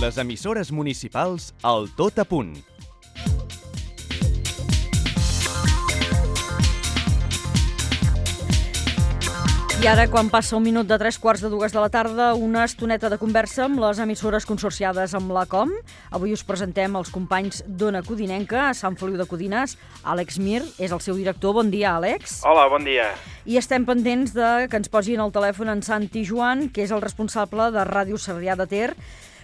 Les emissores municipals al Tot a Punt. I ara, quan passa un minut de 3:15 de la tarda, una estoneta de conversa amb les emissores consorciades amb la COM. Avui us presentem els companys d'Ona Codinenca, a Sant Feliu de Codines. Àlex Mir és el seu director. Bon dia, Àlex. Hola, bon dia. I estem pendents de que ens posin al telèfon en Santi Joan, que és el responsable de Ràdio Sarrià de Ter.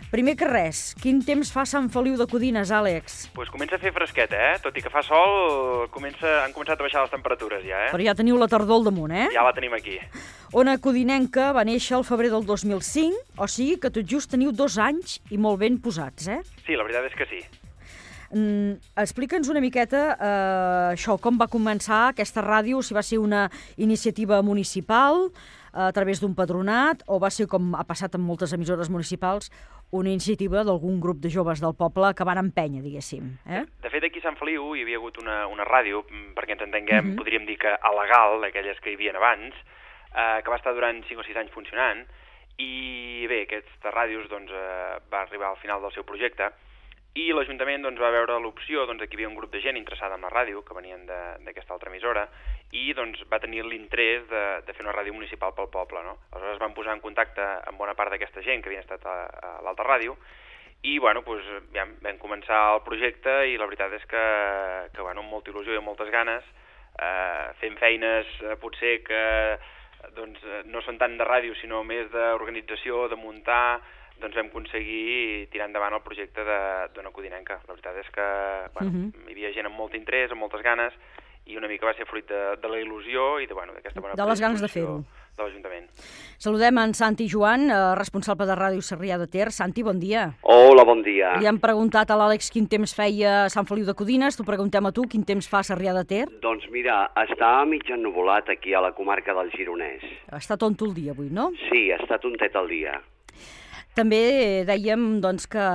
Primer que res, quin temps fa a Sant Feliu de Codines, Àlex? Pues comença a fer fresqueta, Tot i que fa sol, han començat a baixar les temperatures ja, Però ja teniu la tardor al damunt, Ja la tenim aquí. Ona Codinenca va néixer al febrer del 2005, o sigui que tot just teniu 2 anys i molt ben posats, Sí, la veritat és que sí. Explica'ns una miqueta això, com va començar aquesta ràdio, si va ser una iniciativa municipal a través d'un patronat o va ser, com ha passat amb moltes emissores municipals, una iniciativa d'algun grup de joves del poble que van empènyer, diguéssim. De fet, aquí a Sant Feliu hi havia hagut una ràdio, perquè ens entenguem, podríem dir que a legal, aquelles que hi havia abans, que va estar durant 5 o 6 anys funcionant, i bé, aquesta ràdios va arribar al final del seu projecte, i l'Ajuntament va veure l'opció que hi havia un grup de gent interessada en la ràdio, que venien d'aquesta altra emissora, i va tenir l'interès de fer una ràdio municipal pel poble, no? Aleshores van posar en contacte amb bona part d'aquesta gent que havien estat a l'altra ràdio, i vam començar el projecte, i la veritat és que amb molta il·lusió i amb moltes ganes, fent feines potser que no són tant de ràdio, sinó més d'organització, de muntar, vam aconseguir tirar endavant el projecte d'Ona Codinenca. La veritat és que hi havia gent amb molt interès, amb moltes ganes, i una mica va ser fruit de la il·lusió i d'aquesta bona de les ganes de fer-ho de l'Ajuntament. Saludem en Santi Joan, responsable de Ràdio Sarrià de Ter. Santi, bon dia. Hola, bon dia. Li hem preguntat a l'Àlex quin temps feia a Sant Feliu de Codines, t'ho preguntem a tu, quin temps fa a Sarrià de Ter? Doncs mira, està mig ennuvolat aquí a la comarca del Gironès. Està tonto el dia avui, no? Sí, està tontet el dia. També dèiem que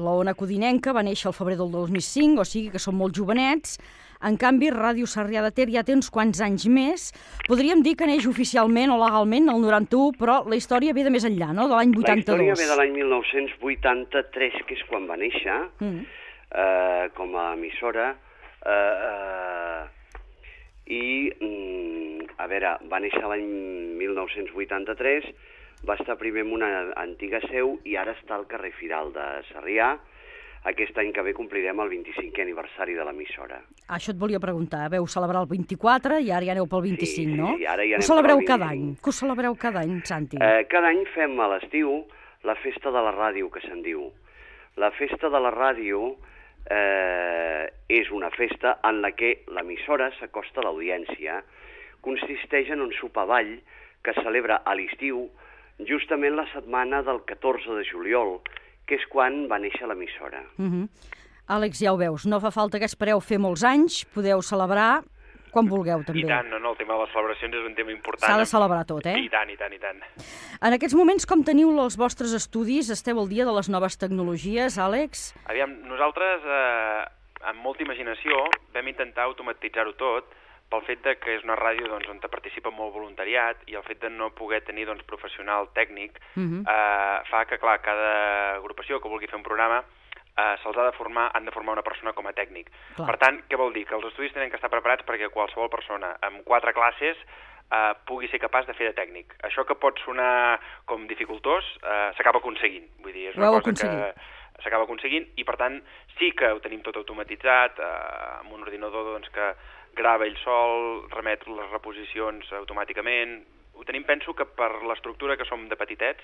l'Ona Codinenca va néixer al febrer del 2005, o sigui que són molt jovenets. En canvi, Ràdio Sarrià de Ter ja té uns quants anys més. Podríem dir que neix oficialment o legalment el 91, però la història ve de més enllà, no? De l'any 82. La història ve de l'any 1983, que és quan va néixer, com a emissora. Va néixer l'any 1983, va estar primer en una antiga seu i ara està al carrer Firal de Sarrià. Aquest any que ve complirem el 25è aniversari de l'emissora. Això et volia preguntar. Veu celebrar el 24 i ara ja aneu pel 25, no? Sí, ara ja anem Ho celebreu pel 25. cada any? Que ho celebreu cada any, Santi? Cada any fem a l'estiu la festa de la ràdio, que se'n diu. La festa de la ràdio és una festa en la que l'emissora s'acosta a l'audiència. Consisteix en un sopar-ball que es celebra a l'estiu, justament la setmana del 14 de juliol, que és quan va néixer l'emissora. Àlex, ja ho veus, no fa falta que espereu fer molts anys, podeu celebrar quan vulgueu, també. I tant, no, el tema de les celebracions és un tema important. S'ha de celebrar tot, I tant, i tant, i tant. En aquests moments, com teniu els vostres estudis? Esteu al dia de les noves tecnologies, Àlex? Aviam, nosaltres, amb molta imaginació, vam intentar automatitzar-ho tot, pel fet que és una ràdio on participa molt voluntariat i el fet de no poder tenir professional tècnic fa que, clar, cada agrupació que vulgui fer un programa se'ls han de formar una persona com a tècnic. Clar. Per tant, què vol dir? Que els estudis tenen que estar preparats perquè qualsevol persona amb 4 classes pugui ser capaç de fer de tècnic. Això que pot sonar com dificultós s'acaba aconseguint. Vull dir, és una cosa que s'acaba aconseguint i, per tant, sí que ho tenim tot automatitzat amb un ordinador que grava ell sol, remet les reposicions automàticament. Ho tenim, penso, que per l'estructura que som de petitets,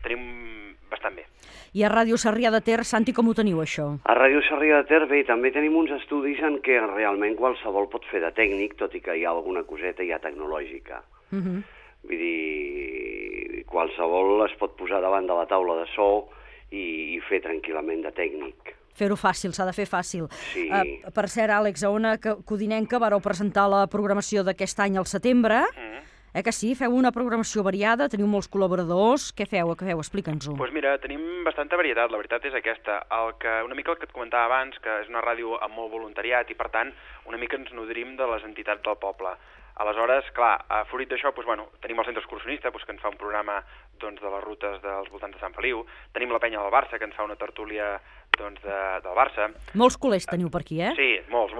tenim bastant bé. I a Ràdio Sarrià de Ter, Santi, com ho teniu, això? A Ràdio Sarrià de Ter, bé, també tenim uns estudis en què realment qualsevol pot fer de tècnic, tot i que hi ha alguna coseta ja tecnològica. Vull dir, qualsevol es pot posar davant de la taula de so i fer tranquil·lament de tècnic. Fer-ho fàcil, s'ha de fer fàcil. Sí. Per cert, Àlex, a Ona Codinenca vareu presentar la programació d'aquest any al setembre. Que sí? Feu una programació variada, teniu molts col·laboradors. Què feu? Explica'ns-ho. Doncs mira, tenim bastanta varietat, la veritat és aquesta. Una mica el que et comentava abans, que és una ràdio amb molt voluntariat i, per tant, una mica ens nodrim de les entitats del poble. Aleshores, clar, fruit d'això, doncs, bueno, tenim el centre excursionista, doncs, que ens fa un programa doncs, de les rutes dels voltants de Sant Feliu, tenim la penya del Barça, que ens fa una tertúlia doncs, del Barça. Molts culers teniu per aquí, eh? Sí, molts.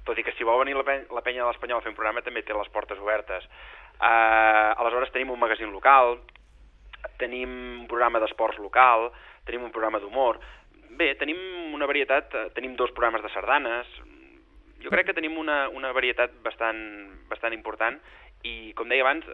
Tot i que si vol venir la penya de l'Espanyol a fer un programa també té les portes obertes. Aleshores tenim un magazín local, tenim un programa d'esports local, tenim un programa d'humor. Bé, tenim una varietat, tenim 2 programes de sardanes. Jo crec que tenim una varietat bastant important i, com deia abans,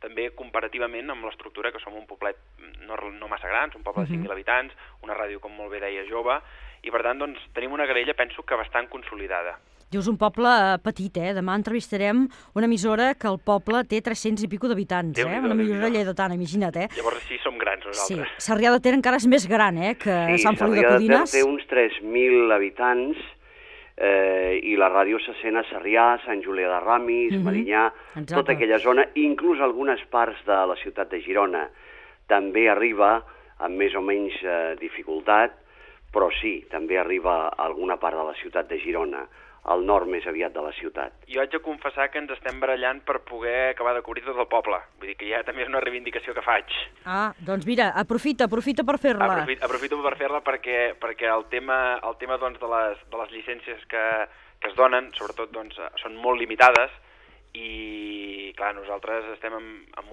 també comparativament amb l'estructura, que som un poblet no massa grans, un poble de 5.000 habitants, una ràdio, com molt bé deia, jove, i per tant doncs, tenim una grella, penso, que bastant consolidada. Dius un poble petit, eh? Demà entrevistarem una emissora que el poble té 300 i pico d'habitants, eh? Una emissora lleidatana, imagina't, eh? Llavors sí, som grans nosaltres. Sí, Sarrià de Ter encara és més gran, eh? Que Sant Feliu de Codines. Sí, Sarrià de Ter té uns 3.000 habitants i la ràdio se sent a Sarrià, Sant Julià de Ramis, Medinyà, tota aquella zona, inclús algunes parts de la ciutat de Girona. També arriba amb més o menys dificultat, però sí, també arriba a alguna part de la ciutat de Girona, al nord més aviat de la ciutat. Jo haig de confessar que ens estem barallant per poder acabar de cobrir tot el poble. Vull dir que ja també és una reivindicació que faig. Ah, doncs mira, aprofita per fer-la. Aprofito per fer-la perquè el tema doncs, de les llicències que es donen, sobretot, doncs, són molt limitades i, clar, nosaltres estem amb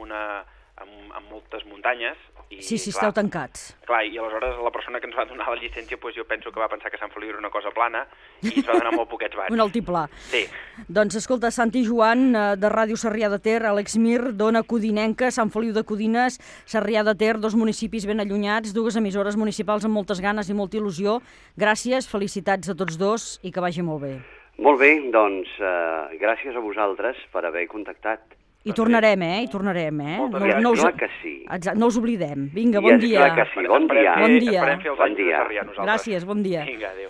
moltes muntanyes. I, sí, esteu tancats. Clar, i aleshores la persona que ens va donar la llicència, doncs jo penso que va pensar que Sant Feliu era una cosa plana i ens va donar molt poquets watts. Un altiplà. Sí. Doncs escolta, Santi Joan, de Ràdio Sarrià de Ter, Àlex Mir, d'Ona Codinenca, Sant Feliu de Codines, Sarrià de Ter, 2 municipis ben allunyats, 2 emissores municipals amb moltes ganes i molta il·lusió. Gràcies, felicitats a tots 2 i que vagi molt bé. Molt bé, doncs gràcies a vosaltres per haver contactat. I tornarem, eh? Clar que sí. No us oblidem. Vinga, bon dia. Clar que sí, bon dia. Bon dia. Esperem fer els anys de Sarrià nosaltres. Gràcies, bon dia. Vinga, adéu.